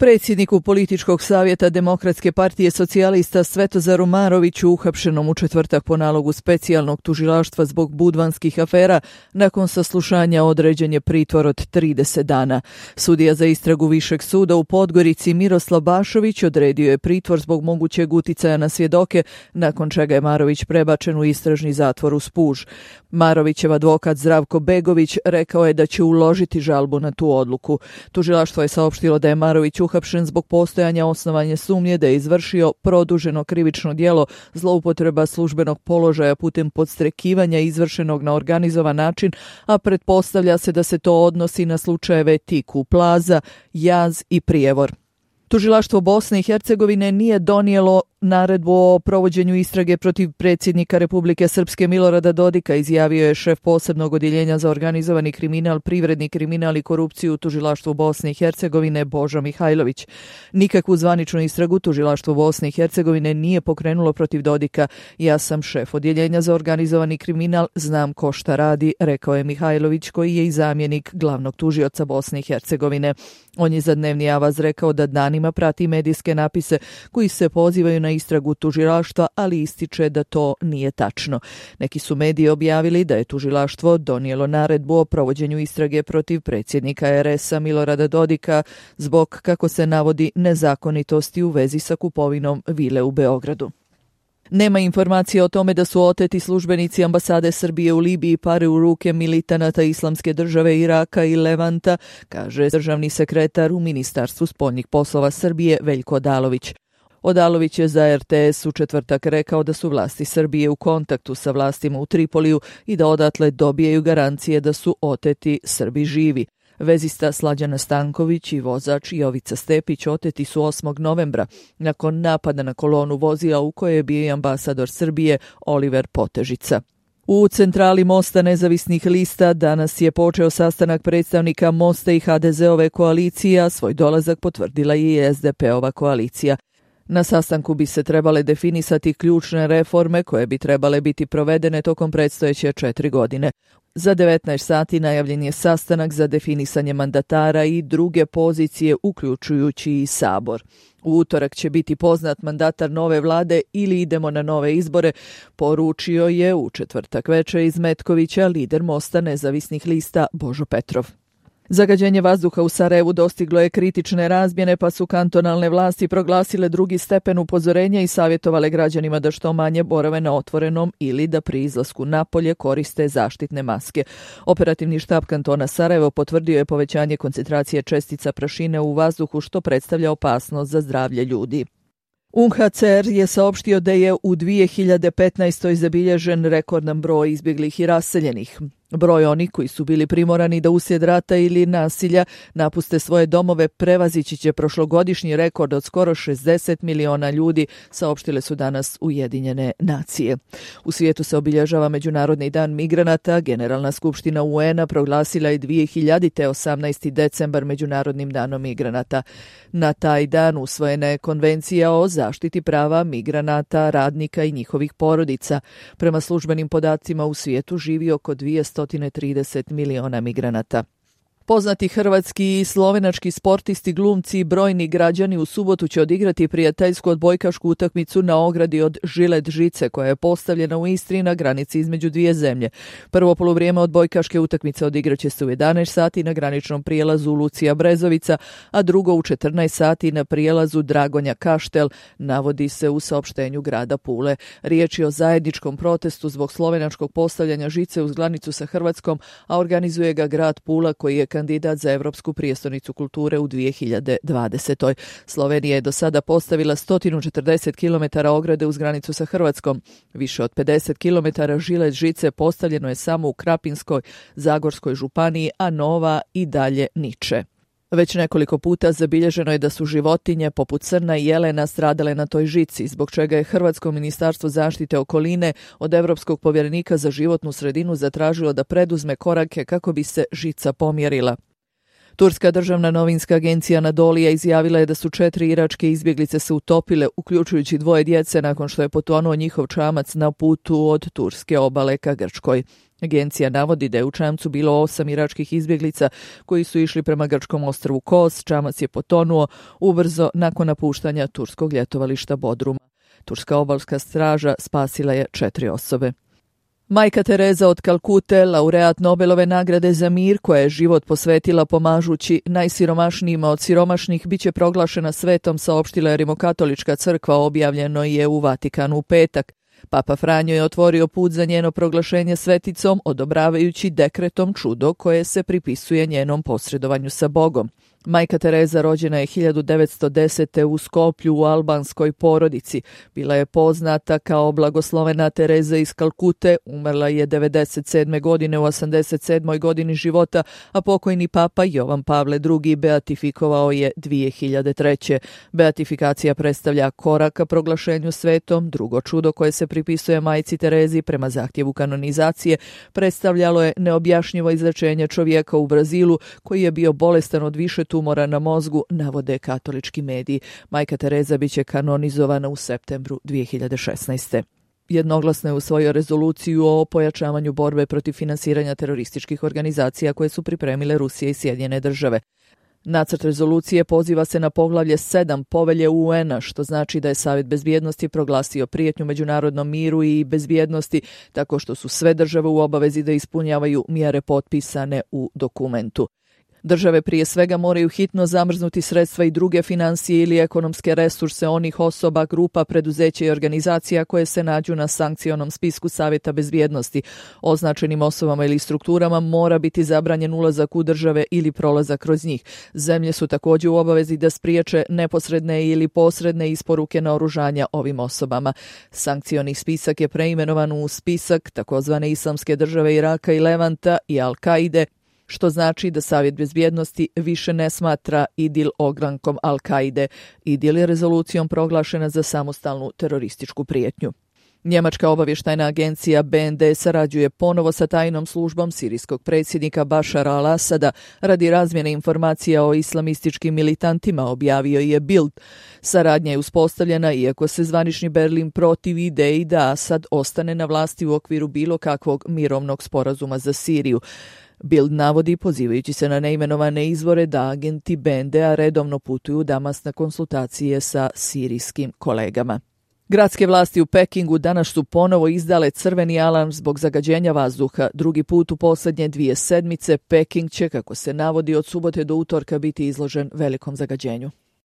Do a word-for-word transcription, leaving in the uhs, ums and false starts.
Predsjedniku Političkog savjeta Demokratske partije socijalista Svetozaru Maroviću, uhapšenom u četvrtak po nalogu specijalnog tužilaštva zbog budvanskih afera, nakon saslušanja određen je pritvor od trideset dana. Sudija za istragu Višeg suda u Podgorici Miroslav Bašović odredio je pritvor zbog mogućeg uticaja na svjedoke, nakon čega je Marović prebačen u istražni zatvor u Spuž. Marovićev advokat Zdravko Begović rekao je da će uložiti žalbu na tu odluku. Tužilaštvo je saopštilo da je Marović uhapšen zbog postojanja osnovane sumnje da je izvršio produženo krivično djelo zloupotreba službenog položaja putem podstrekivanja izvršenog na organizovan način, a pretpostavlja se da se to odnosi na slučajeve Tiku Plaza, Jaz i Prijevor. Tužilaštvo Bosne i Hercegovine nije donijelo naredbu o provođenju istrage protiv predsjednika Republike Srpske Milorada Dodika, izjavio je šef posebnog odjeljenja za organizovani kriminal, privredni kriminal i korupciju u Tužilaštvu Bosne i Hercegovine Božo Mihajlović. Nikakvu zvaničnu istragu Tužilaštvo Bosne i Hercegovine nije pokrenulo protiv Dodika. Ja sam šef odjeljenja za organizovani kriminal, znam ko šta radi, rekao je Mihajlović, koji je i zamjenik glavnog tužioca Bosne i Hercegovine. On je za Dnevni avaz rekao da danima prati medijske napise koji se pozivaju na istragu tužilaštva, ali ističe da to nije tačno. Neki su mediji objavili da je tužilaštvo donijelo naredbu o provođenju istrage protiv predsjednika er es a Milorada Dodika zbog, kako se navodi, nezakonitosti u vezi sa kupovinom vile u Beogradu. Nema informacije o tome da su oteti službenici ambasade Srbije u Libiji pare u ruke militanata Islamske države Iraka i Levanta, kaže državni sekretar u Ministarstvu spoljnih poslova Srbije Veljko Odalović. Odalović je za er te es u četvrtak rekao da su vlasti Srbije u kontaktu sa vlastima u Tripoliju i da odatle dobijaju garancije da su oteti Srbi živi. Vezista Slađana Stanković i vozač Jovica Stepić oteti su osmog novembra nakon napada na kolonu vozila u kojoj je bio i ambasador Srbije Oliver Potežica. U centrali Mosta nezavisnih lista danas je počeo sastanak predstavnika Mosta i ha de ze-ove koalicije, a svoj dolazak potvrdila je i es de pe-ova koalicija. Na sastanku bi se trebale definisati ključne reforme koje bi trebale biti provedene tokom predstojeće četiri godine. Za devetnaest sati najavljen je sastanak za definisanje mandatara i druge pozicije, uključujući i Sabor. U utorak će biti poznat mandatar nove vlade ili idemo na nove izbore, poručio je u četvrtak večer iz Metkovića lider Mosta nezavisnih lista Božo Petrov. Zagađenje vazduha u Sarajevu dostiglo je kritične razmjene, pa su kantonalne vlasti proglasile drugi stepen upozorenja i savjetovale građanima da što manje borave na otvorenom ili da pri izlasku napolje koriste zaštitne maske. Operativni štab kantona Sarajevo potvrdio je povećanje koncentracije čestica prašine u vazduhu, što predstavlja opasnost za zdravlje ljudi. u en ha ce er je saopštio da je u dvije hiljade petnaestoj zabilježen rekordan broj izbjeglih i raseljenih. Broj onih koji su bili primorani da uslijed rata ili nasilja napuste svoje domove prevazići će prošlogodišnji rekord od skoro šezdeset miliona ljudi, saopštile su danas Ujedinjene nacije. U svijetu se obilježava Međunarodni dan migranata. Generalna skupština u en a proglasila je dvije hiljade osamnaesti decembar Međunarodnim danom migranata. Na taj dan usvojena je konvencija o zaštiti prava migranata, radnika i njihovih porodica. Prema službenim podacima u svijetu živi oko dvjesto trideset miliona migranata. Poznati hrvatski i slovenački sportisti, glumci i brojni građani u subotu će odigrati prijateljsku odbojkašku utakmicu na ogradi od žilet žice koja je postavljena u Istri na granici između dvije zemlje. Prvo poluvrijeme odbojkaške utakmice odigraće se u jedanaest sati na graničnom prijelazu Lucija Brezovica, a drugo u četrnaest sati na prijelazu Dragonja Kaštel, navodi se u saopštenju grada Pule. Riječ je o zajedničkom protestu zbog slovenačkog postavljanja žice uz granicu sa Hrvatskom, a organizuje ga grad Pula koji je kandidat za Europsku prijestolnicu kulture u dvije hiljade dvadesetoj. Slovenija je do sada postavila sto četrdeset kilometara ograde uz granicu sa Hrvatskom. Više od pedeset kilometara žilet žice postavljeno je samo u Krapinskoj, Zagorskoj županiji, a nova i dalje niče. Već nekoliko puta zabilježeno je da su životinje poput srna i jelena stradale na toj žici, zbog čega je Hrvatsko ministarstvo zaštite okoline od Europskog povjerenika za životnu sredinu zatražilo da preduzme korake kako bi se žica pomjerila. Turska državna novinska agencija Anadolija izjavila je da su četiri iračke izbjeglice se utopile, uključujući dvoje djece nakon što je potonuo njihov čamac na putu od turske obale ka Grčkoj. Agencija navodi da je u čamcu bilo osam iračkih izbjeglica koji su išli prema grčkom ostrvu Kos. Čamac je potonuo ubrzo nakon napuštanja turskog ljetovališta Bodruma. Turska obalska straža spasila je četiri osobe. Majka Tereza od Kalkute, laureat Nobelove nagrade za mir, koja je život posvetila pomažući najsiromašnijima od siromašnih, bit će proglašena svetom, saopštila je Rimokatolička crkva, objavljeno je u Vatikanu u petak. Papa Franjo je otvorio put za njeno proglašenje sveticom, odobravajući dekretom čudo koje se pripisuje njenom posredovanju sa Bogom. Majka Tereza rođena je hiljadu devetsto desete. u Skoplju u albanskoj porodici. Bila je poznata kao blagoslovena Tereza iz Kalkute, umrla je devedeset sedme. godine u osamdeset sedmoj. godini života, a pokojni papa Jovan Pavle drugi. beatifikovao je dvije hiljade treće. Beatifikacija predstavlja korak ka proglašenju svetom. Drugo čudo koje se pripisuje majci Terezi prema zahtjevu kanonizacije predstavljalo je neobjašnjivo izlečenje čovjeka u Brazilu koji je bio bolestan od više tumora na mozgu, navode katolički mediji. Majka Tereza biće kanonizovana u septembru dvije hiljade šesnaeste. Jednoglasno je usvojio rezoluciju o pojačavanju borbe protiv finansiranja terorističkih organizacija koje su pripremile Rusija i Sjedinjene države. Nacrt rezolucije poziva se na poglavlje sedam povelje U N-a, što znači da je Savjet bezbjednosti proglasio prijetnju međunarodnom miru i bezbjednosti, tako što su sve države u obavezi da ispunjavaju mjere potpisane u dokumentu. Države prije svega moraju hitno zamrznuti sredstva i druge financije ili ekonomske resurse onih osoba, grupa, preduzeća i organizacija koje se nađu na sankcionom spisku Savjeta bezbjednosti. Označenim osobama ili strukturama mora biti zabranjen ulazak u države ili prolazak kroz njih. Zemlje su također u obavezi da spriječe neposredne ili posredne isporuke naoružanja ovim osobama. Sankcioni spisak je preimenovan u spisak takozvane Islamske države Iraka i Levanta i Al-Kaide, što znači da Savjet bezbjednosti više ne smatra Idil ogrankom Al-Kaide. Idil je rezolucijom proglašena za samostalnu terorističku prijetnju. Njemačka obavještajna agencija B N D sarađuje ponovo sa tajnom službom sirijskog predsjednika Bašara al-Asada radi razmjene informacija o islamističkim militantima, objavio je Bild. Saradnja je uspostavljena iako se zvanični Berlin protivi ideji da Asad ostane na vlasti u okviru bilo kakvog mirovnog sporazuma za Siriju. Bild navodi, pozivajući se na neimenovane izvore, da agenti B N D-a redovno putuju u Damas na konsultacije sa sirijskim kolegama. Gradske vlasti u Pekingu danas su ponovo izdale crveni alarm zbog zagađenja vazduha. Drugi put u posljednje dvije sedmice Peking će, kako se navodi, od subote do utorka biti izložen velikom zagađenju.